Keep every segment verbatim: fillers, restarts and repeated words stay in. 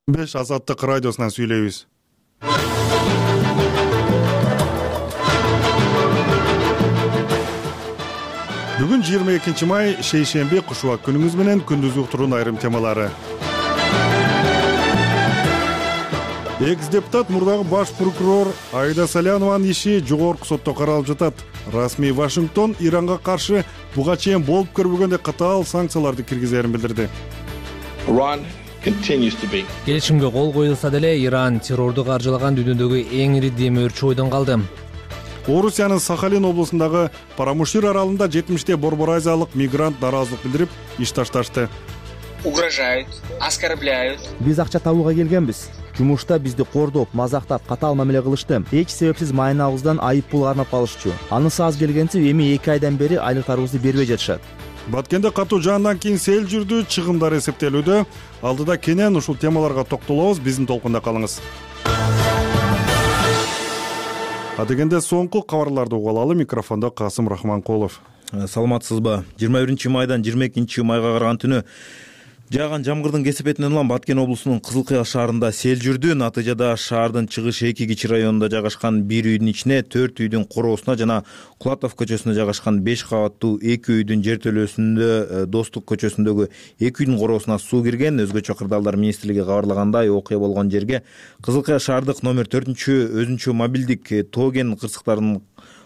беш Азаттык радиосунан сүйлөйбүз. Бүгүн жыйырма экинчи май шейшемби кушубак күнүңүз менен күндүз уктуруунун айрым темалары. Экс-депутат мурдагы баш прокурор Аида Салянованын иши жогорку сотто каралып жатат. Расмий Вашингтон Иранга каршы буга чейин болуп көрбөгөндөй катаал санкцияларды киргизерин билдирди. Келишимге кол коюлса деле Иран террорду каржылаган дүйнөдөгү эң ири демөөрчү бойдон калды. Орусиянын Сахалин облусундагы Парамушир аралында жетимиштей Борбор Азиялык мигрант нааразылык билдирип, иш ташташты. Угрожают, оскорбляют. Биз акча табууга келгенбиз. Жумушта бизди кордоп, мазактап, катаал мамиле кылышты. Эч себепсиз майнабыздан айып пул кармап калышчу. Анысы аз келгенче эми эки айдан бери айлыктарыбызды бербей жатышат. Баткенде катуу жаандан кийин сел жүрдү, чыгымдар эсептелүүдө. Алдыда кенен ушул темаларга токтолобуз, биздин толкунда калыңыз. Адегенде соңку кабарларды угуп алалы. Микрофондо Касым Рахманкулов. Саламатсызбы? жыйырма биринчи майдан жыйырма экинчи майга караган түнү жааган жамгырдын кесепетинен улам Баткен облусунун Кызыл Кыя шаарында сел жүрдү. Натыйжада шаардын чыгыш эки кичи районунда жайгашкан бир үйдүн ичине, төрт үйдүн короосуна жана Кулатов көчөсүндө жайгашкан беш кабаттуу эки үйдүн жертөлөсүндө, Достук көчөсүндөгү эки үйдүн короосуна суу кирген. Өзгөчө кырдаалдар министрлиги кабарлагандай, окуя болгон жерге Кызыл Кыя шаардык номер төртүнчү өзүнчө мобилдик Тоген кырсыктарынын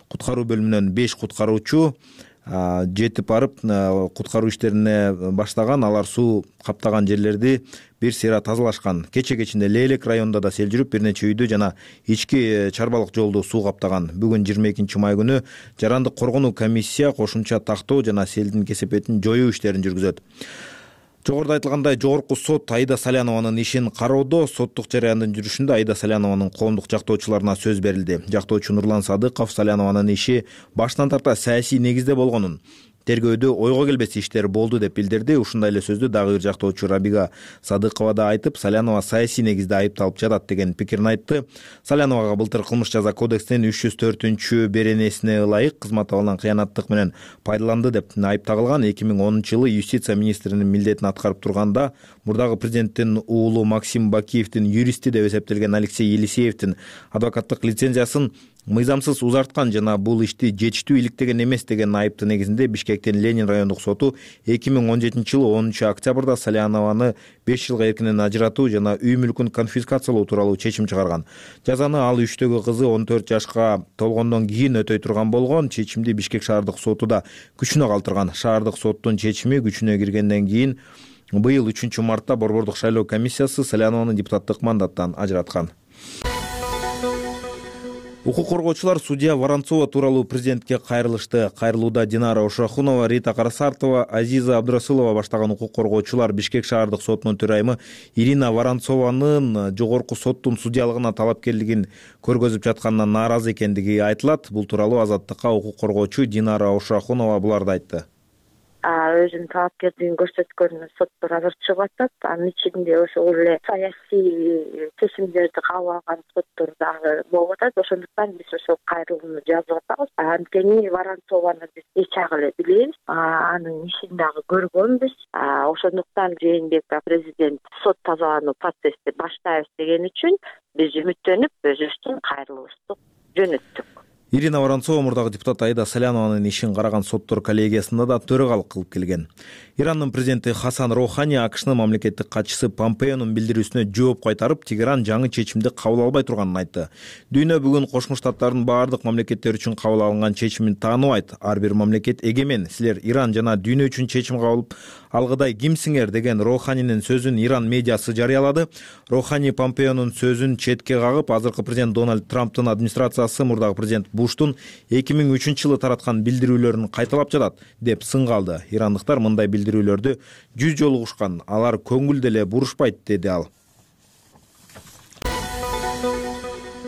куткаруу бөлүмүнөн беш куткаруучу жетип барып куткаруу иштерине баштаган. Алар суу каптаган жерлерди бир сыйра тазалашкан. Кече кечинде Лейлек районунда да сел жүрүп, бир нече үйдү жана ички чарбалык жолду суу каптаган. Бүгүн жыйырма экинчи май күнү жарандык коргонуу комиссия кошумча тактоо жана селдин кесепетин жоюу иштерин жүргүзөт. Жогоруда айтылгандай, жогорку сот Аида Салянованын ишин кароодо. Соттук жарыяндын жүрүшүндө Аида Салянованын коомдук жактоочуларына сөз берилди. Жактоочу Нурлан Садыков Салянованын иши баштан тарта саясий негизде болгонун, тергөөдө ойго келбес иштер болду деп билдирди. Ушундай эле сөздү дагы бир жактоочу Рабига Садыкова да айтып, Салянова саясий негизде айыпталып жатат деген пикирин айтты. Саляновага былтыр кылмыш жаза кодексинин үч жүз төртүнчү беренесине ылайык кызмат абалынан кыянаттык менен пайдаланды деп айып тагылган. эки миң онунчу жылы юстиция министринин милдетин аткарып турганда мурдагы президенттин уулу Максим Бакиевдин юристи деп эсептелген Алексей Елисеевдин адвокаттык лицензиясын мыйзамсыз узарткан жана бул ишти жетиштүү иликтеген эмес деген айыптын негизинде Бишкектин Ленин райондук соту эки миң он жетинчи жылы онунчу октябрда Салянованы беш жылга эркинен ажыратуу жана үй мүлкүн конфискациялоо тууралуу чечим чыгарган. Жазаны ал үчтөгү кызы он төрт жашка толгондон кийин өтөй турган болгон. Чечимди Бишкек шаардык соту да күчүнө калтырган. Шаардык соттун чечими күчүнө киргенден кийин быйыл үчүнчү мартта Борбордук шайлоо комиссиясы Салянованы депутаттык мандаттан ажыраткан. Укук коргоочулар судья Воронцова тууралуу президентке кайрылышты. Кайрылууда Динара Ошохунова, Рита Карасартова, Азиза Абдурасулова баштаган укук коргоочулар Бишкек шаардык сотунун төрайымы Ирина Воронцованын жогорку соттун судьялыгына талапкерлигин көргөзүп жатканына нааразы экендиги айтылат. Бул тууралуу Азаттыкка укук коргоочу Динара Ошохунова буларды айтты. Өзүнүн талапкерлигин көрсөткөнүнө соттор азыр чыгып атат. Анын ичинде ошол эле саясий чечимдерди кабыл алган соттор дагы болуп атат. Ошондуктан биз ошол кайрылууну жазып атабыз. Анткени Воронцованы биз эч жагы эле билебиз, анын ишин дагы көргөнбүз. Ошондуктан Жээнбек президент сот тазалануу процессти баштайбыз деген үчүн биз үмүттөнүп өзүбүздүн кайрылуубузду жөнөттүк. Ирина Воронцова мурдагы депутат Аида Салянованын ишин караган соттор коллегиясында да төрагалык кылып келген. Ирандын президенти Хасан Рохани АКШнын мамлекеттик катчысы Помпеонун билдирүүсүнө жооп кайтарып, Тегеран жаңы чечимди кабыл албай турганын айтты. Дүйнө бүгүн Кошмо Штаттардын баардык мамлекеттер үчүн кабыл алынган чечимин тааныбайт. Ар бир мамлекет эгемен. Силер Иран жана дүйнө үчүн чечим кабыл алгыдай кимсиңер деген Роханинин сөзүн Иран медиасы жарыялады. Рохани Помпеонун сөзүн четке кагып, азыркы президент Дональд Трамптын администрациясы мурдагы президент Буштун эки миң үчүнчү жылы тараткан билдирүүлөрүн кайталап жатат деп сын калды. Ирандыктар мындай билдирүүлөрдү жүз жолу угушкан. Алар көңүл деле бурушпайт, деди ал.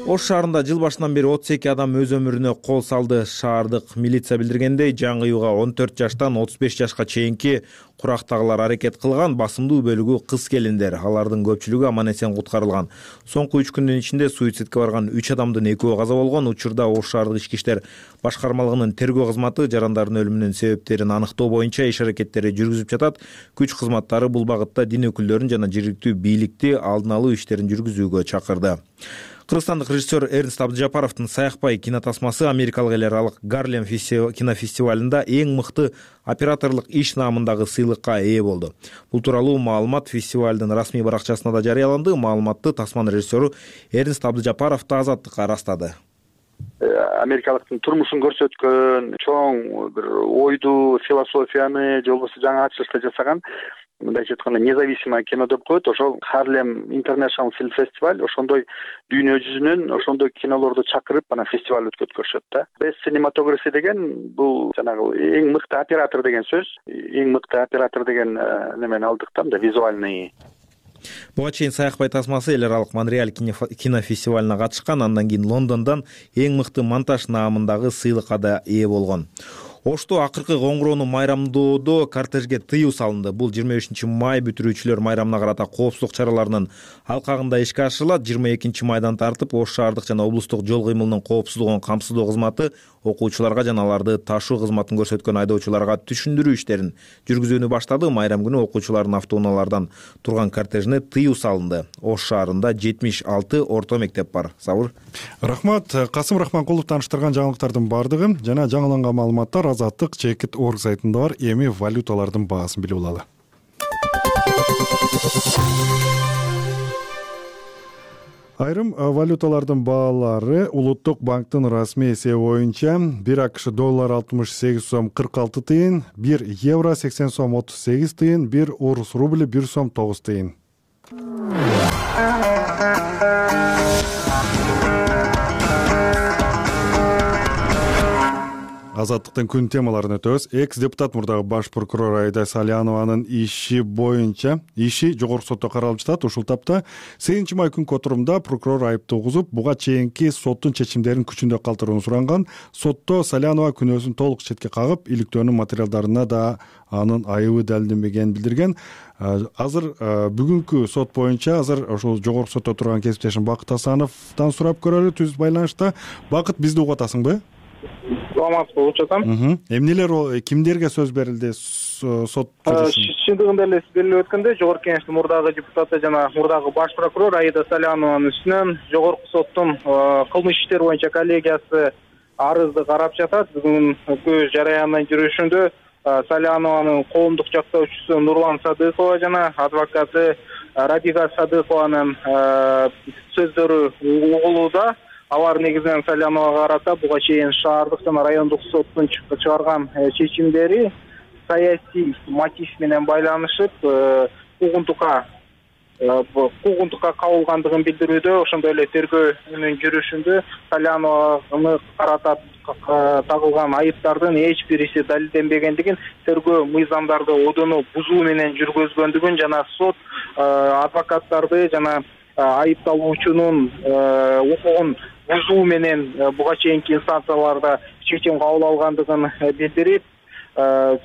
Ош шаарында жыл башынан бери отуз эки адам өз өмүрүнө кол салды. Шаардык милиция билдиргендей, жаңыюуга он төрт жаштан отуз беш жашка чейинки курактагылар аракет кылган. Басымдуу бөлүгү кыз келиндер. Алардын көпчүлүгү аман эсен куткарылган. Соңку үч күндүн ичинде суицидке барган үч адамдын экөө каза болгон. Учурда Ош шаардык ички иштер башкармалыгынын тергөө кызматы жарандардын өлүмүнүн себептерин аныктоо боюнча иш аракеттери жүргүзүп жатат. Күч кызматтары бул багытта дин өкүлдөрүн жана жергиликтүү бийликти алдын алуу иштерин жүргүзүүгө чакырды. Кыргызстандык режиссер Эрнст Абдыжапаровдун «Саякпай» кинотасмасы Америкалык эл аралык Гарлем кинофестивалында эң мыкты операторлук иш наамындагы сыйлыкка ээ болду. Бул тууралуу маалымат фестивалдын расмий баракчасында да жарыяланды. Маалыматты тасманын режиссеру Эрнст Абдыжапаров да Азаттыкка ырастады. Америкалыктын турмушун көрсөткөн, чоң бир ойду, философияны, же болбосо жаңы ачылышты жасаган, мындайча айтканда независимое кино деп коет. Ошол Harlem International Film Festival ошондой дүйнө жүзүнөн ошондой кинолорду чакырып анан фестиваль өткөрүшөт да. Best Cinematography деген бул жанагы эң мыкты оператор деген сөз. Эң мыкты оператор деген немени алдык да, визуальный. Буга чейин «Саякпай» тасмасы эл аралык Монреаль кинофестивалына катышкан, андан кийин Лондондон эң мыкты монтаж наамындагы сыйлыкка да ээ болгон. Ошто акыркы коңгуроону майрамдоодо кортежге тыюу салынды. Бул жыйырма бешинчи май бүтүрүүчүлөр майрамына карата коопсуздук чараларынын алкагында ишке ашырылат. жыйырма экинчи майдан тартып Ош шаардык жана облустук жол кыймылынын коопсуздугун камсыздоо кызматы окуучуларга жана аларды ташуу кызматын көрсөткөн айдоочуларга түшүндүрүү иштерин жүргүзүүнү баштады. Майрам күнү окуучулардын автоунаалардан турган кортежине тыюу салынды. Ош шаарында жетимиш алты орто мектеп бар. Сабыр. Рахмат. Касым Рахманкулов тааныштырган жаңылыктардын бардыгы жана жаңыланган маалыматтар Азаттык чекит точка орг сайтында бар. Эми валюталардын баасын билип алалы. Айрым валюталардын баалары Улуттук банктын расмий эсеби боюнча бир АКШ доллар алтымыш сегиз сом кырк алты тыйын, бир евро сексен сом отуз сегиз тыйын, бир орус рубли бир сом тогуз тыйын. Азаттыктын күн темаларын өтөбүз. Экс-депутат мурдагы баш прокурор Айда Салянованын иши боюнча иши жогорку сотто каралып жатат. Ушул тапта сегизинчи май күнкү отурумда прокурор айыпты угузуп, буга чейинки соттун чечимдерин күчүндө калтырууну суранган. Сотто Салянова күнөөсүн толук четке кагып, иликтөөнүн материалдарына да анын айыбы далилденбегенин билдирген. Азыр бүгүнкү сот боюнча азыр ошол жогорку сотто турган кесиптешим Бакыт Асановдон сурап көрөлү. Түз байланышта. Бакыт, бизди угуп атасыңбы? Саламат болуп жатам. Эмнелер, кимдерге сөз берилди сот? Чындыгында эле сиз белгилеп өткөндөй, жогорку кеңештин мурдагы депутаты жана мурдагы баш прокурор Айда Салянованын үстүнөн жогорку соттун кылмыш иштер боюнча коллегиясы арызды карап жатат. Бүгүнкү жарыянын жүрүшүндө Салянованын коомдук жактоочусу Нурлан Садыкова жана адвокаты Рабига Садыкованын сөздөрү угулууда. Алар негизинен Саляновага карата буга чейин шаардык жана райондук соттун чыгарган чечимдери саясий мотив менен байланышып, куугунтукка куугунтукка кабылгандыгын билдирүүдө. Ошондой эле тергөөнүн жүрүшүндө Салянованы карата тагылган айыптардын эч бириси далилденбегендигин, тергөө мыйзамдарды одону бузуу менен жүргүзгөндүгүн жана сот адвокаттарды жана айыпталуучунун укугун бузуу менен буга чейинки инстанцияларда чечим кабыл алгандыгын билдирип,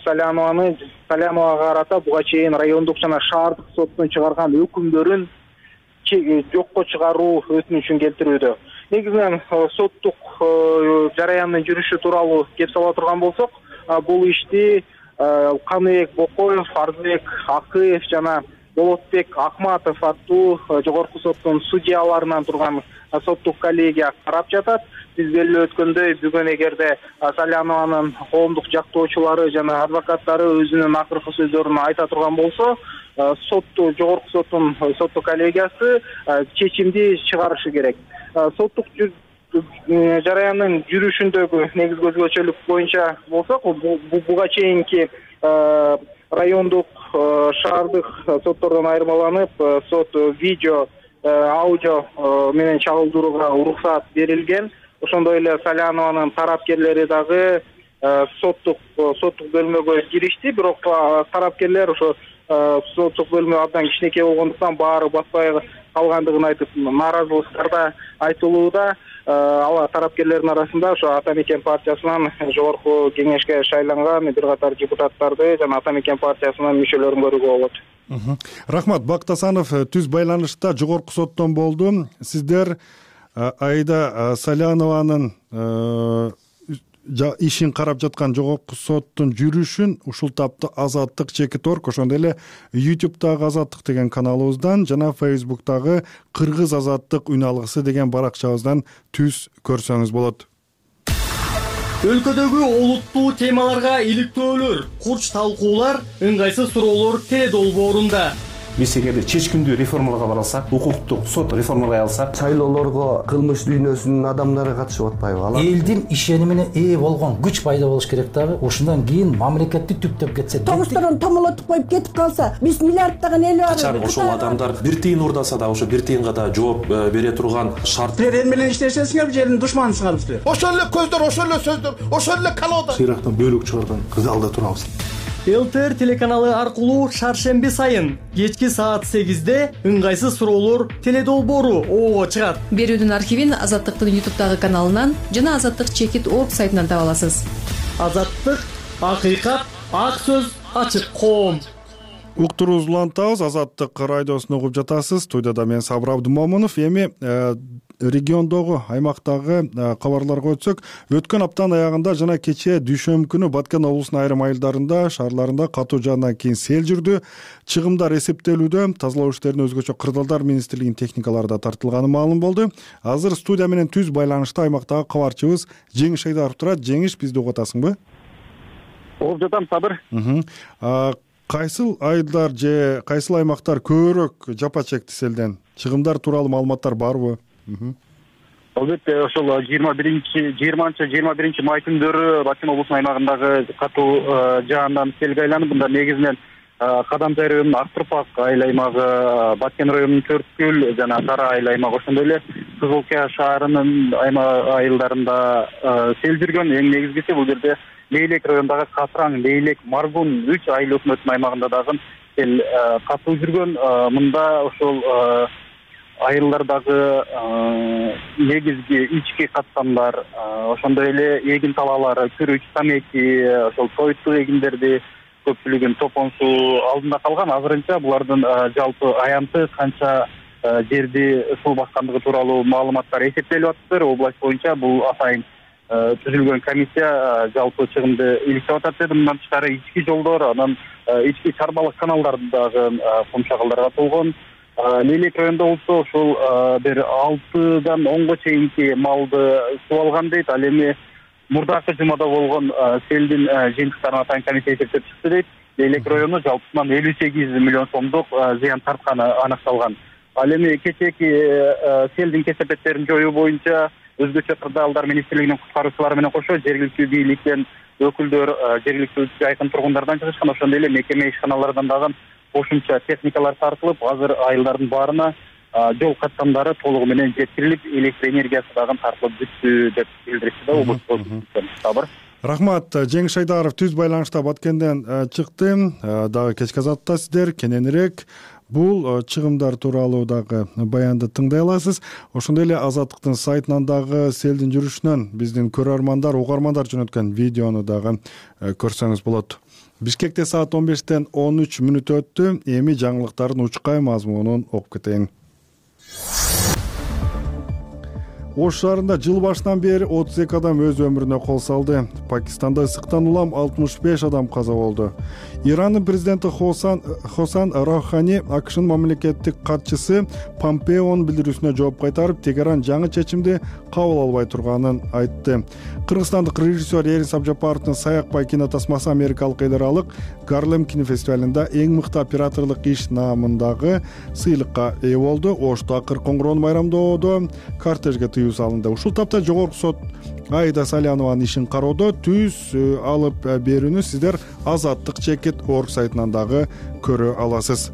Салянованы Саляновага карата буга чейин райондук жана шаардык соттун чыгарган өкүмдөрүн жокко чыгаруу өтүнүчүн келтирүүдө. Негизинен соттук жарыяндын жүрүшү тууралуу кеп сала турган болсок, бул ишти Каныбек Бокоев, Арзбек Акыев жана Болотбек Акматов аттуу жогорку соттун судьяларынан турган соттук коллегия карап жатат. Биз белгилеп өткөндөй, бүгүн эгерде Салянованын коомдук жактоочулары жана адвокаттары өзүнүн акыркы сөздөрүн айта турган болсо, сотту жогорку соттун соттук коллегиясы чечимди чыгарышы керек. Соттук жарыяндын жүрүшүндөгү негизги өзгөчөлүк боюнча болсок, буга чейинки райондук шаардык соттордон айырмаланып, сот видео, аудио менен чагылдырууга уруксат берилген. Ошондой эле Салянованын тарапкерлери дагы соттук соттук бөлмөгө киришти, бирок тарапкерлер ошо соттук бөлүмү абдан кичинекей болгондуктан баары баспай калгандыгын айтып нааразылыктар да айтылууда. Ал тарапкерлердин арасында ошо Ата Мекен партиясынан жогорку кеңешке шайланган бир катар депутаттарды жана Ата Мекен партиясынын мүчөлөрүн көрүүгө болот. Рахмат. Бактасанов түз байланышта жогорку соттон болду. Сиздер Аида Салянованын ишин карап жаткан жогорку соттун жүрүшүн ушул тапта Азаттык чекит орг, ошондой эле ютубтагы Азаттык деген каналыбыздан жана фейсбуктагы Кыргыз Азаттык үн алгысы деген баракчабыздан түз көрсөңүз болот. Өлкөдөгү олуттуу темаларга иликтөөлөр, курч талкуулар, ыңгайсыз суроолор теле долбоорунда. Биз эгерде чечкиндүү реформаларга бара алсак, укуктук сот реформалай алсак, шайлоолорго кылмыш дүйнөсүнүн адамдары катышып атпайбы? Алар элдин ишенимине ээ болгон күч пайда болуш керек дагы. Ошондон кийин мамлекетти түптөп кетсе, тогузторон томолотуп коюп кетип калса, биз миллиарддаган эл бар. Качан ошол адамдар бир тыйын урдаса да, ошо бир тыйынга да жооп бере турган шарт. Силер эл менен иштешесиңерби, же элдин душманысыңарбы силер? Ошол эле көздөр, ошол эле сөздөр, ошол эле колода. Сыйрактан бөлүк чыгарган залда турабыз. ЛТР телеканалы аркылуу шаршемби сайын кечки саат сегизде ыңгайсыз суроолор теле долбоору оого чыгат. Берүүдүн архивин Азаттыктын ютубтагы каналынан жана Азаттык чекит орг сайтынан таба аласыз. Азаттык, акыйкат, ак сөз, ачык коом. Уктуруубузду улантабыз. Азаттык радиосун угуп жатасыз. Студияда мен Сабыр Абдымомунов. Эми региондогу, аймактагы кабарларга өтсөк, өткөн аптанын аягында жана кечээ дүйшөмбү күнү Баткен облусунун айрым айылдарында, шаарларында катуу жаандан кийин сел жүрдү. Чыгымдар эсептелүүдө, тазалоо иштерине өзгөчө Кырдаалдар министрлигинин техникалары да тартылганы маалым болду. Азыр студия менен түз байланышта аймактагы кабарчыбыз Жеңиш Айдаров турат. Жеңиш, бизди угуп атасыңбы? Угуп жатам, Сабыр. Кайсыл айылдар же кайсыл аймактар көбүрөөк жапа чекти селден? Чыгымдар тууралуу маалыматтар барбы? Албетте, ошол жыйырма биринчи жыйырманчы жыйырма биринчи май күндөрү Баткен облусунун аймагындагы катуу жаандан селге айланып, мында негизинен Кадамжай районунун Ак Турпак айыл аймагы, Баткен районунун Төрткүл жана Сара айыл аймагы, ошондой эле Кызылкая шаарынын айылдарында сел жүргөн. Эң негизгиси бул жерде Лейлек районундагы Катраң, Лейлек, Маргун үч айыл өкмөтүнүн аймагында дагы сел катуу жүргөн. Мында ошол айылдардагы негизги ички каттамдар, ошондой эле эгин талаалары, күрүч, тамеки, ошол тойтуу эгиндерди көпчүлүгүн топон суу алдында калган. Азырынча булардын жалпы аянты канча жерди суу баскандыгы тууралуу маалыматтар эсептелип атыптыр. Область боюнча бул атайын түзүлгөн комиссия жалпы чыгымды иликтеп атат деди. Мындан тышкары ички жолдор, анан ички чарбалык каналдардагы кумшагалдарга толгон. Лейлек районунда болсо ошол бир алтыдан онго чейинки малды суу алган дейт. Ал эми мурдакы жумада болгон селдин жыйынтыктарын атайын комиссия эсептеп чыкты дейт. Лейлек району жалпысынан элүү сегиз миллион сомдук зыян тартканы аныкталган. Ал эми кечээки селдин кесепеттерин жоюу боюнча өзгөчө Кырдаалдар министрлигинин куткаруучулары менен кошо жергиликтүү бийликтен өкүлдөр, жергиликтүү жайкын тургундардан чыгышкан. Ошондой эле мекеме ишканалардан дагы кошумча техникалар тартылып, азыр айылдардын баарына жол каттамдары толугу менен жеткирилип, электр энергиясы дагы тартылып бүттү деп билдиришти да облустун Сабыр. Рахмат. Жеңиш Айдаров түз байланышта Баткенден чыкты. Дагы кечки Азаттыкта сиздер кененирээк бул чыгымдар тууралуу дагы баянды тыңдай аласыз. Ошондой эле Азаттыктын сайтынан дагы селдин жүрүшүнөн биздин көрөрмандар, угармандар жөнөткөн видеону дагы көрсөңүз болот. Бишкекте саат он бештен он үч мүнөт өттү. Эми жаңылыктардын учкай мазмунун окуп кетейин. Ош шаарында жыл башынан бери отуз эки адам өз өмүрүнө кол салды. Пакистанда ысыктан улам алтымыш беш адам каза болду. Ирандын президенти Хосан Хосан Рохани АКШнын мамлекеттик катчысы Помпеонун билдирүүсүнө жооп кайтарып, Тегеран жаңы чечимди кабыл албай турганын айтты. Кыргызстандык режиссер Эрин Сабжапаровдун Саякбай кинотасмасы америкалык эл аралык Гарлем кинофестивалында эң мыкты операторлук иш наамындагы сыйлыкка ээ болду. Ошто акыр коңгуроону майрамдоодо кортежге тыюу салынды. Ушул тапта жогорку сот Аида Салянованын ишин кароодо түз алып берүүнү сиздер Азаттык чекит орг сайтынан дагы көрө аласыз.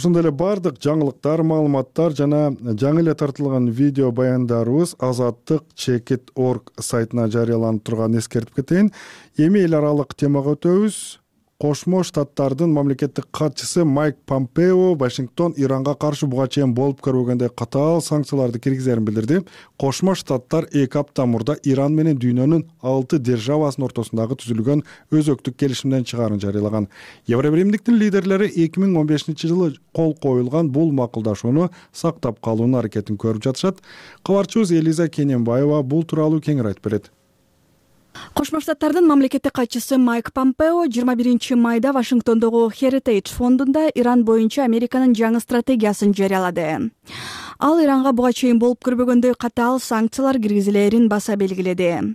ошондой эле баардык жаңылыктар, маалыматтар жана жаңы эле тартылган видео баяндарыбыз азаттык чекит точка орг сайтына жарыяланып турганын эскертип кетейин. Эми эл аралык темага өтөбүз. Кошмо Штаттардын мамлекеттик катчысы Майк Помпео Вашингтон Иранга каршы буга чейин болуп көрбөгөндөй катаал санкцияларды киргизерин билдирди. Кошмо Штаттар эки апта мурда Иран менен дүйнөнүн алты державасынын ортосундагы түзүлгөн өзөктүк келишимден чыгаарын жарыялаган. Евробиримдиктин лидерлери эки миң он бешинчи жылы кол коюлган бул макулдашууну сактап калуунун аракетин көрүп жатышат. Кабарчыбыз Элиза Кененбаева бул тууралуу кеңири айтып берет. Кошмо Штаттардын мамлекеттик катчысы Майк Помпео жыйырма биринчи майда Вашингтондогу Heritage фондунда Иран боюнча Американын жаңы стратегиясын жарыялады. Ал Иранга буга чейин болуп көрбөгөндөй катаал санкциялар киргизилерин баса белгиледи.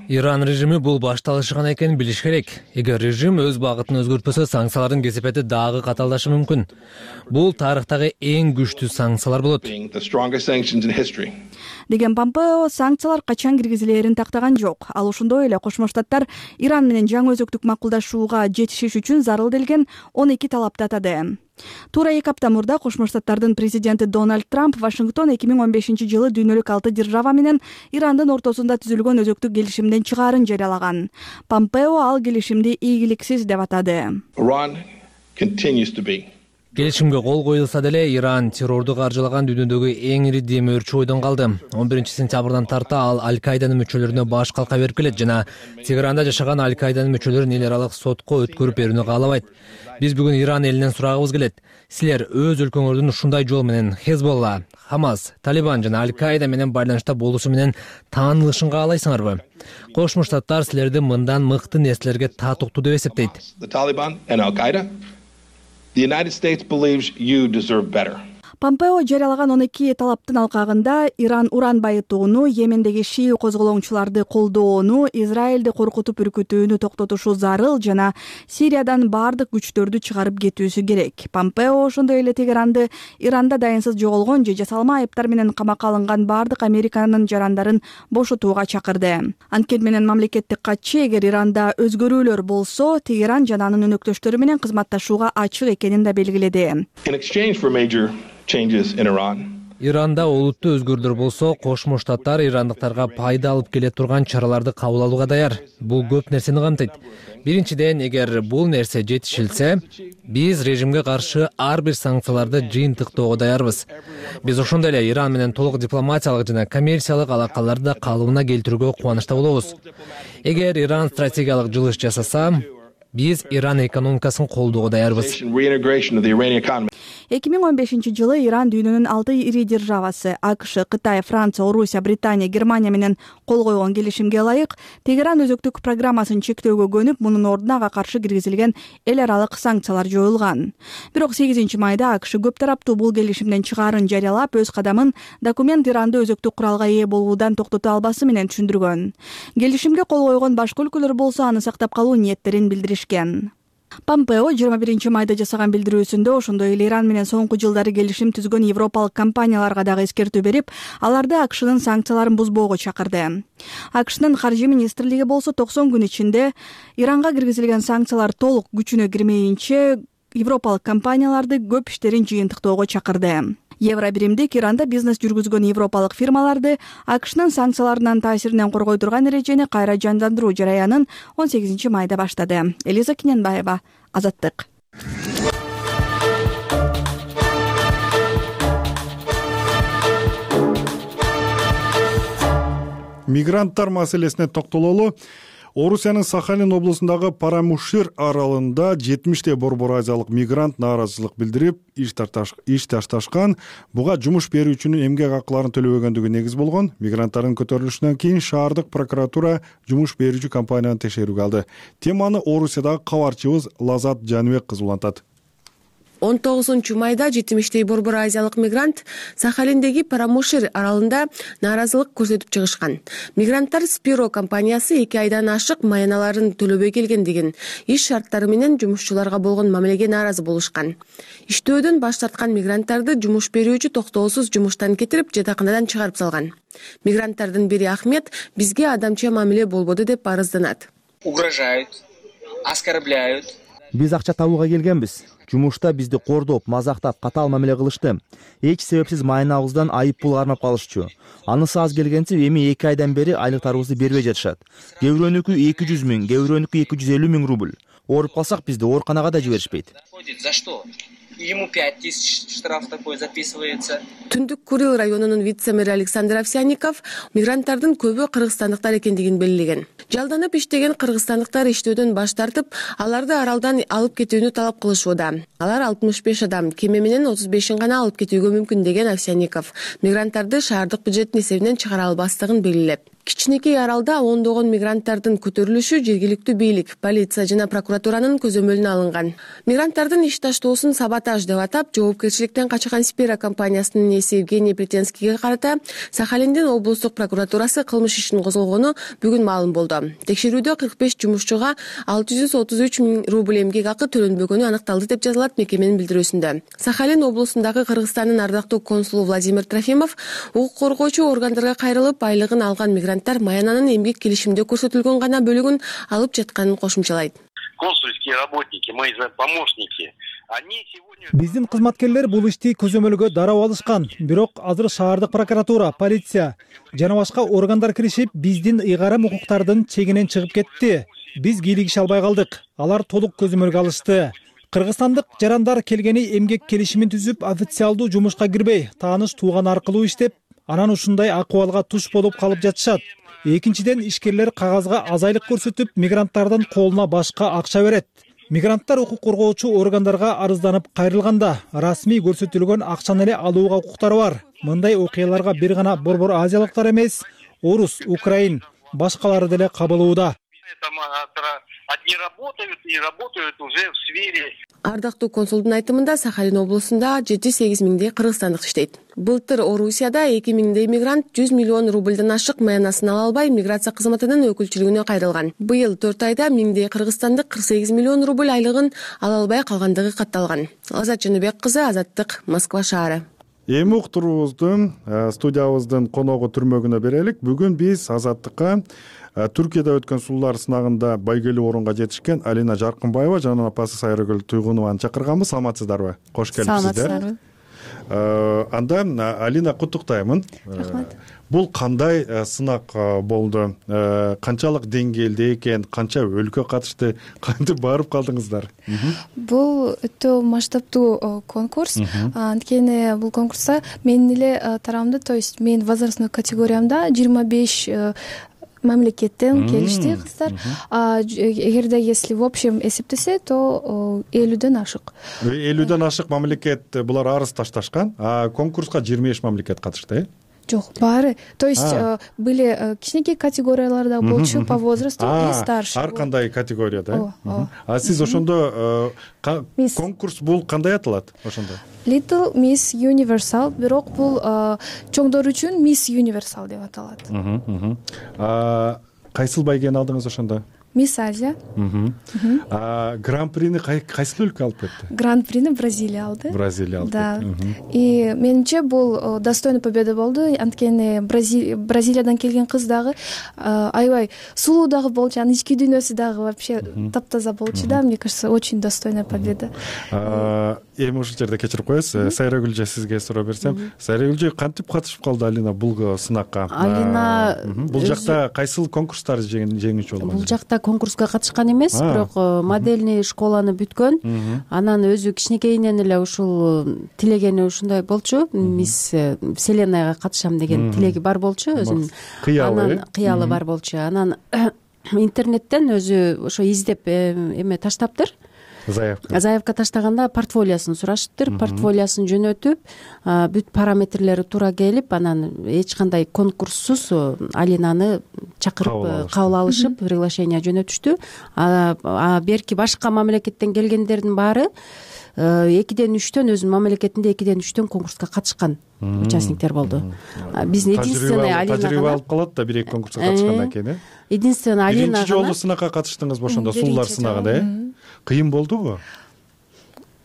Иран режими бул башталышы гана экенин билиш керек. Эгер режим өз багытын өзгөртпөсө, санкциялардын кесепети дагы катаалдашы мүмкүн. Бул тарыхтагы эң күчтүү санкциялар болот. Деген Помпео санкциялар качан киргизилерин тактаган жок. Ал ошондой эле Кошмо Штаттар Иран менен жаңы өзөктүк макулдашууга жетишиш үчүн зарыл делген он эки талапты атады. Туура эки апта мурда Кошмо Штаттардын президенти Дональд Трамп Вашингтон эки миң он бешинчи жылы дүйнөлүк алты держава менен Ирандын ортосунда түзүлгөн өзөктүк келишимден чыгаарын жарыялаган. Помпео ал келишимди ийгиликсиз деп атады. Келишимге кол коюлса деле Иран террорду каржылаган дүйнөдөгү эң ири демөөрчү ойдон калды. он биринчи сентябрдан тарта ал Аль-Каиданын мүчөлөрүнө баш калка берип келет жана Тегеранда жашаган Аль-Каиданын мүчөлөрүн эл аралык сотко өткөрүп берүүнү каалабайт. Биз бүгүн Иран элинен сурагыбыз келет. Силер өз өлкөңөрдүн ушундай жол менен Хезболла, Хамас, Талибан жана Аль-Каида менен байланышта болуусу менен таанылышын каалайсыңарбы? Кошмо Штаттар силерди мындан мыкты нерселерге татыктуу деп эсептейт. The United States believes you deserve better. Помпео жарыялаган он эки талаптын алкагында Иран уран байытууну, Йемендеги шии козголоңчуларды колдоону, Израилди коркутуп үркүтүүнү токтотушу зарыл жана Сириядан бардык күчтөрдү чыгарып кетүүсү керек. Помпео ошондой эле Тегеранды Иранда дайынсыз жоголгон же жасалма айыптар менен камакка алынган бардык Американын жарандарын бошотууга чакырды. Анткени менен мамлекеттик катчы эгер Иранда өзгөрүүлөр болсо, Тегеран жана анын өнөктөштөрү менен кызматташууга ачык экенин да белгиледи. In exchange for major changes in Iran. Иранда олуттуу өзгөрүүлөр болсо, Кошмо Штаттар ирандыктарга пайда алып келе турган чараларды кабыл алууга даяр. Бул көп нерсени камтыйт. Биринчиден, эгер бул нерсе жетишилсе, биз режимге каршы ар бир санкцияларды жыйынтыктоого даярбыз. Биз ошондой эле Иран менен толук дипломатиялык жана коммерциялык алакаларды калыбына келтирүүгө кубанычта болобуз. Эгер Иран стратегиялык жылыш жасаса, биз Иран экономикасын колдоого даярбыз. эки миң он бешинчи жылы Иран дүйнөнүн алты ири державасы АКШ, Кытай, Франция, Орусия, Британия, Германия менен кол койгон келишимге ылайык Тегеран өзөктүк программасын чектөөгө көнүп, мунун ордуна ага каршы киргизилген эл аралык санкциялар жоюлган. Бирок сегизинчи майда АКШ көп тараптуу бул келишимден чыгаарын жарыялап, өз кадамын документ Иранды өзөктүк куралга ээ болуудан токтото албасы менен түшүндүргөн. Келишимге кол койгон башка өлкөлөр болсо аны сактап калуу ниеттерин билдиришкен. Помпео жыйырма биринчи майда жасаган билдирүүсүндө ошондой эле Иран менен соңку жылдары келишим түзгөн европалык компанияларга дагы эскертүү берип, аларды АКШнын санкцияларын бузбоого чакырды. АКШнын каржы министрлиги болсо токсон күн ичинде Иранга киргизилген санкциялар толук күчүнө кирмейинче европалык компанияларды көп иштерин жыйынтыктоого чакырды. Евробиримдик Иранда бизнес жүргүзгөн европалык фирмаларды АКШнын санкцияларынын таасиринен коргой турган эрежени кайра жандандыруу жараянын он сегизинчи майда баштады. Элиза Кененбаева, Азаттык. Мигранттар маселесине токтололу. Орусиянын Сахалин облусундагы Парамушир аралында жетимиштей борбор азиялык мигрант нааразычылык билдирип, иш ташташкан. Буга жумуш берүүчүнүн эмгек акыларын төлөбөгөндүгү негиз болгон. Мигранттардын көтөрүлүшүнөн кийин шаардык прокуратура жумуш берүүчү компанияны текшерүүгө алды. Теманы Орусиядагы кабарчыбыз Лазат Жаныбек кызы улантат. он тогузунчу майда жетимиштей борбор азиялык мигрант Сахалиндеги Парамушир аралында нааразылык көрсөтүп чыгышкан. Мигранттар Спиро компаниясы эки айдан ашык маяналарын төлөбөй келгендигин, иш шарттары менен жумушчуларга болгон мамилеге нааразы болушкан. Иштөөдөн баш тарткан мигранттарды жумуш берүүчү токтоосуз жумуштан кетирип, жатаканадан чыгарып салган. Мигранттардын бири Ахмет бизге адамча мамиле болбоду деп арызданат. Угрожают, оскорбляют. Биз акча табууга келгенбиз. Жумушта бизди кордоп, мазактап, катаал мамиле кылышты. Эч себепсиз майнабыздан айып пул кармап калышчу. Анысы аз келгенче эми эки айдан бери айлыктарыбызды бербей жатышат. Кээ бирөөнүкү эки жүз миң, кээ бирөөнүкү эки жүз элүү миң рубль. Ооруп калсак бизди ооруканага да жиберишпейт. За что? Ему пять тысяч штраф такой записывается. Түндүк Курил районунун вице-мэри Александр Овсянников мигранттардын көбү кыргызстандыктар экендигин белгилеген. Жалданып иштеген кыргызстандыктар иштөөдөн баш тартып, аларды аралдан алып кетүүнү талап кылышууда. Алар алтымыш беш адам, кеме менен отуз бешин гана алып кетүүгө мүмкүн деген Овсянников мигранттарды шаардык бюджеттин эсебинен чыгара албастыгын белгилеп, кичинекей аралда ондогон мигранттардын көтөрүлүшү жергиликтүү бийлик, полиция жана прокуратуранын көзөмөлүнө алынган. Мигранттардын иш таштоосун саботаж деп атап, жоопкерчиликтен качкан Спира компаниясынын ээси Евгений Претенскийге карата Сахалиндин облустук прокуратурасы кылмыш ишин козгогону бүгүн маалым болду. Текшерүүдө кырк беш жумушчуга алты жүз отуз үч миң рубль эмгек акы төлөнбөгөнү аныкталды деп жазылат мекеменин билдирүүсүндө. Сахалин облусундагы Кыргызстандын ардактуу консулу Владимир Трофимов укук коргоочу органдарга кайрылып, айлыгын алган мигранттар маянанын эмгек келишимде көрсөтүлгөн гана бөлүгүн алып жатканын кошумчалайт. Консульские работники, мои помощники, они сегодня... Биздин кызматкерлер бул ишти көзөмөлгө дароо алышкан. Бирок азыр шаардык прокуратура, полиция жана башка органдар киришип, биздин ыйгарым укуктардын чегинен чыгып кетти. Биз кийлигише албай калдык. Алар толук көзөмөлгө алышты. Кыргызстандык жарандар келгени эмгек келишимин түзүп, официалдуу жумушка кирбей, тааныш тууган аркылуу иштеп, анан ушундай акыбалга туш болуп калып жатышат. Экинчиден, ишкерлер кагазга аз айлык көрсөтүп, мигранттардын колуна башка акча берет. Мигранттар укук коргоочу органдарга арызданып кайрылганда, расмий көрсөтүлгөн акчаны эле алууга укуктары бар. Мындай окуяларга бир гана борбор азиялыктар эмес, орус, украин, башкалары деле кабылууда. Одни работают и работают уже в сфере. Ардактуу консулдун айтымында Сахалин облусунда жети сегиз миңдей кыргызстандык иштейт. Былтыр Орусияда эки миңдей мигрант жүз миллион рубльдан ашык маянасын ала албай миграция кызматынын өкүлчүлүгүнө кайрылган. Быйыл төрт айда миңдей кыргызстандык кырк сегиз миллион рубль айлыгын ала албай калгандыгы катталган. Азат Жаныбек кызы, Азаттык, Москва шаары. Эми уктуруубуздун студиябыздын коногу түрмөгүнө берелик. Бүгүн биз Азаттыкка Түркияда өткөн сулуулар сынагында байгелүү орунга жетишкен Алина Жаркынбаева жана апасы Сайрагүл Туйгунованы чакырганбыз. Саламатсыздарбы? Кош келипсиздер. Анда Алина, куттуктаймын. Рахмат. Бул кандай сынак болду? Канчалык деңгээлде экен? Канча өлкө катышты? Кантип барып калдыңыздар? Бул өтө масштабтуу конкурс. Анткени бул конкурста менин эле тарамда, то есть менин возрастной категориямда жыйырма беш мамлекеттен келишти кыздар. Эгерде если в общем эсептесе, то элүүдөн ашык. элүүдөн ашык мамлекет булар арыз ташташкан, а конкурска жыйырма беш мамлекет катышты, э? Жок, баары. То есть были кичинекей категорияларда болчу по возрасту и старше. Ар кандай категорияда. А сиз ошондо конкурс бул кандай аталат ошондо? Little Miss Universal, бирок бул чоңдор үчүн Miss Universal деп аталат. Кайсыл байгени алдыңыз ошондо? Мисс Азия. Гран-прини кайсыл өлкө алып кетти? Гран-прини Бразилия алды. Бразилия алды. Да. И менимче бул достойный победа болду. Анткени Бразилиядан келген кыз дагы аябай сулуу дагы болчу, анын ички дүйнөсү дагы вообще таптаза болчу да. Мне кажется, очень достойная победа. Эми ушул жерде кечирип коесуз. Сайрагүлжө сизге суроо берсем. Сайрагүлжө кантип катышып калды Алина бул сынакка? Алина бул жакта кайсыл конкурстарды жеңүүчү болгон? Бул жакта конкурска катышкан эмес, бирок модельный школаны бүткөн. Анан өзү кичинекейинен эле ушул тилегени ушундай болчу. Мисс Вселенныйга катышам деген тилеги бар болчу өзүнүн. Анан кыялы бар болчу. Анан интернеттен өзү ошо издеп эме таштаптыр. Заявка. Заявка таштаганда портфолиосун сурашыптыр. Портфолиосун жөнөтүп, бүт параметрлери туура келип, анан эч кандай конкурссуз Алинаны чакырып кабыл алышып, приглашение жөнөтүштү. А берки башка мамлекеттен келгендердин баары экиден үчтөн өзүнүн мамлекетинде экиден үчтөн конкурска катышкан участниктер болду. Биздин единственный Алина тажрыйба алып калат да бир эки конкурска катышкандан кийин, э? Единственный Алина. Биринчи жолу сынакка катыштыңызбы ошондо, сулуулар сынагында, э? Кыйын болдубу?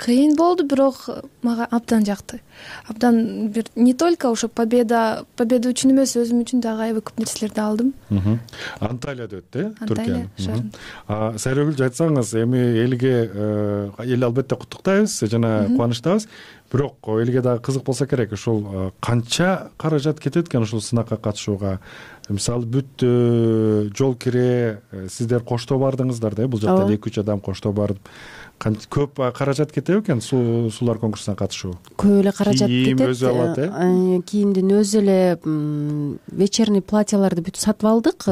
кыйын болду, бирок мага абдан жакты. Абдан бир не только ошо победа победа үчүн эмес, өзүм үчүн дагы аябай көп нерселерди алдым. Анталияда өттү, э, Анталия шаарында. А Сайрагүл, айтсаңыз, эми элге эл албетте куттуктайбыз жана кубанычтабыз. Бирок элге дагы кызык болсо керек, ушул канча каражат кетет экен ушул сынакка катышууга? Мисалы бүт жол кире сиздер коштоо бардыңыздар да, бул жакта эки үч адам коштоо барып, көп каражат кетеби экен сулар конкурсуна катышуу? Көп эле каражат кетет. Кийим өзү алат, э? Кийимдин өзү эле вечерний платьяларды бүт сатып алдык.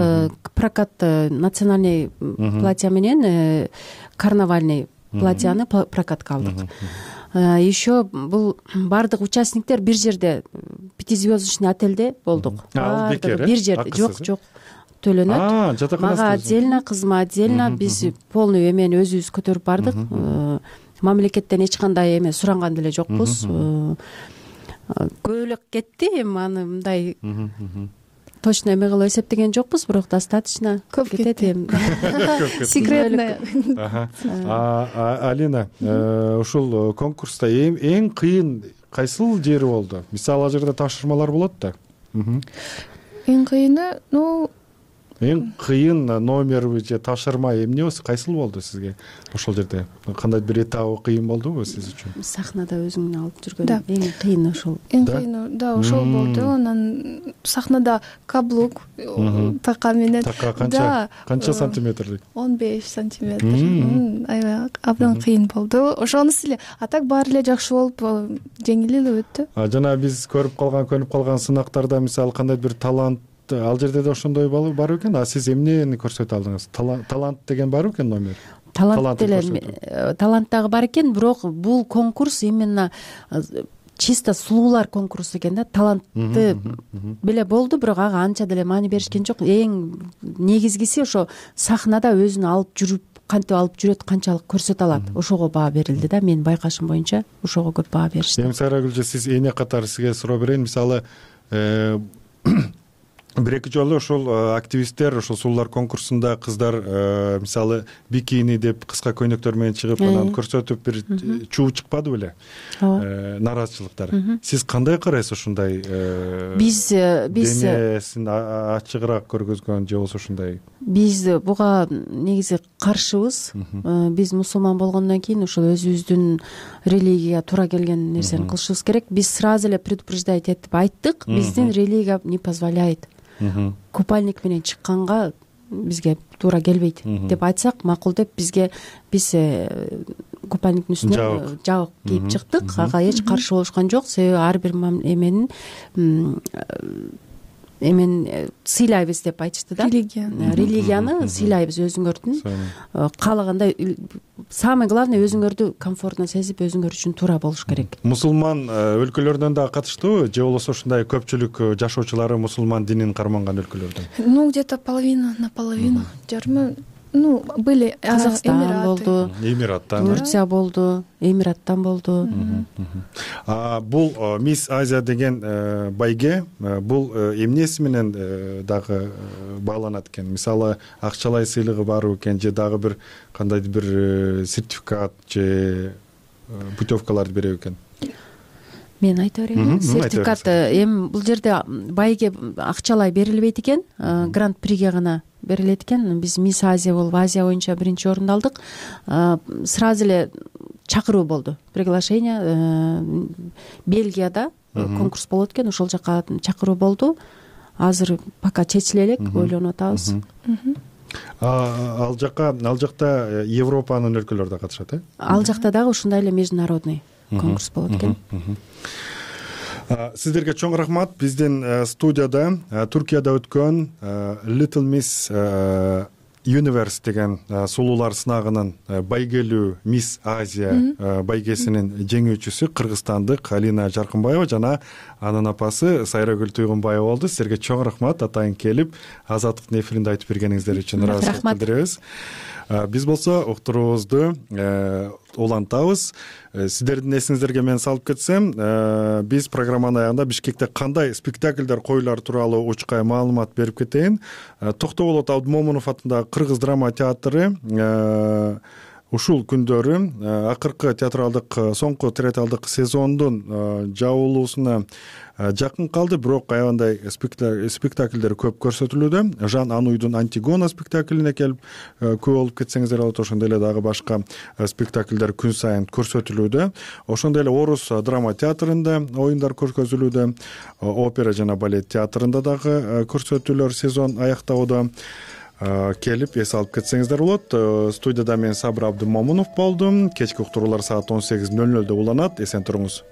Прокат национальный платья менен карнавальный платьяны прокатка алдык. Еще бул бардык участниктер бир жерде пятизвездочный отельде болдук. Бардыгы бир жерде. Жок, жок. Төлөнөт. Мага отдельно, кызыма отдельно. Биз полный эмени өзүбүз көтөрүп бардык. Мамлекеттен эч кандай эме суранган деле жокпуз. Көбүрөөк кетти, эми аны мындай точно эме кылып эсептеген жокпуз, бирок достаточно көп кетет эми. Секретный. Алина, ушул конкурста эң кыйын кайсыл жери болду? Мисалы, ал жерде тапшырмалар болот да. Эң кыйыны, ну эң кыйын номер же тапшырма эмне болсо кайсыл болду сизге ошол жерде? Кандай бир этабы кыйын болдубу сиз үчүн? Сахнада өзүңдү алып жүргөн эң кыйын ошол. Эң кыйыны да ошол болду. Анан сахнада каблук така менен. Така канча? Канча сантиметрлик? он беш сантиметр. Аябай абдан кыйын болду. Ошонусу эле. А так баары эле жакшы болуп, жеңил эле өттү. Жана биз көрүп калган, көнүп калган сынактарда мисалы кандай бир талант, ал жерде да ошондой бар экен. А сиз эмнени көрсөтө алдыңыз? Талант деген бар экен номер? Талант деле, талант дагы бар экен, бирок бул конкурс именно чисто сулуулар конкурсу экен да. Талантты беле болду, бирок ага анча деле маани беришкен жок. Эң негизгиси ошо сахнада өзүн алып жүрүп, кантип алып жүрөт, канчалык көрсөтө алат. Ошого баа берилди да. Менин байкашым боюнча ошого көп баа беришти. Эми Сайрагүл, сиз эне катары сизге суроо берейин. Мисалы, бир эки жолу ошол активисттер ошол сулуулар конкурсунда кыздар мисалы бикини деп кыска көйнөктөр менен чыгып, анан көрсөтүп бир чуу чыкпады беле? Нааразычылыктар. Сиз кандай карайсыз ушундай? Биз биз денесин ачыгыраак көргөзгөн же болбосо ушундай? Биз буга негизи каршыбыз. Биз мусулман болгондон кийин ошол өзүбүздүн религияга туура келген нерсени кылышыбыз керек. Биз сразу эле предупреждать этип айттык, биздин религия не позволяет. Купальник менен чыкканга бизге туура келбейт деп айтсак макул деп, бизге биз купальниктин үстүнө жабык кийип чыктык. Ага эч каршы болушкан жок, себеби ар бир эменин эмен сыйлайбыз деп айтышты да. Религияны сыйлайбыз өзүңөрдүн. Каалагандай, самое главное, өзүңөрдү комфортно сезип, өзүңөр үчүн туура болуш керек. Мусулман өлкөлөрдөн да катыштыбы, же болбосо ушундай көпчүлүк жашоочулары мусулман динин карманган өлкөлөрдөн? Ну, где-то половина на половину. Жарымы, ну, были Казакстан болду, Эмираттан, Турция болду, Эмираттан болду. Бул Мисс Азия деген байге бул эмнеси менен дагы бааланат экен? Мисалы, акчалай сыйлыгы барбы экен, же дагы бир кандайдыр бир сертификат же путевкаларды береби экен? Мен айта берейин. Сертификат эми бул жерде байге акчалай берилбейт экен, гран-приге гана берилет экен. Биз Мисс Азия болуп, Азия боюнча биринчи орунду алдык. Сразу эле чакыруу болду, приглашение. Бельгияда конкурс болот экен, ошол жака чакыруу болду. Азыр пока чечиле элек, ойлонуп атабыз. Ал жака, ал жакта Европанын өлкөлөрү да катышат, э? Ал жакта дагы ушундай эле международный конкурс болот экен. Сиздерге чоң рахмат. Биздин студияда Туркияда өткөн Little Miss Universe деген сулуулар сынагынын байгелүү Мисс Азия байгесинин жеңүүчүсү кыргызстандык Алина Жаркынбаева жана анын апасы Сайрагүл Туйгунбаева болду. Сиздерге чоң рахмат, атайын келип Азаттыктын эфиринде айтып бергениңиздер үчүн ыраазычылык билдиребиз. Биз болсо уктуруубузду улантабыз. Сиздердин эсиңиздерге мен салып кетсем, биз программанын аягында Бишкекте кандай спектакльдер коюлары тууралуу учкай маалымат берип кетейин. Токтоболот Абдымомунов атындагы Кыргыз драма театры ушул күндөрү акыркы театралдык соңку театралдык сезондун жабылуусуна жакын калды, бирок аябандай спектакльдер көп көрсөтүлүүдө. Жан Ануйдун Антигона спектаклине келип көп болуп кетсеңиздер болот. Ошондой эле дагы башка спектакльдер күн сайын көрсөтүлүүдө. Ошондой эле Орус драма театрында оюндар көрсөтүлүүдө, опера жана балет театрында дагы көрсөтүүлөр сезон аяктоодо. Келип эс алып кетсеңиздер болот. Студияда мен Сабыр Абдымомунов болдум. Кечки уктуруулар саат он сегиз нөл нөлдө уланат. Эсен туруңуз.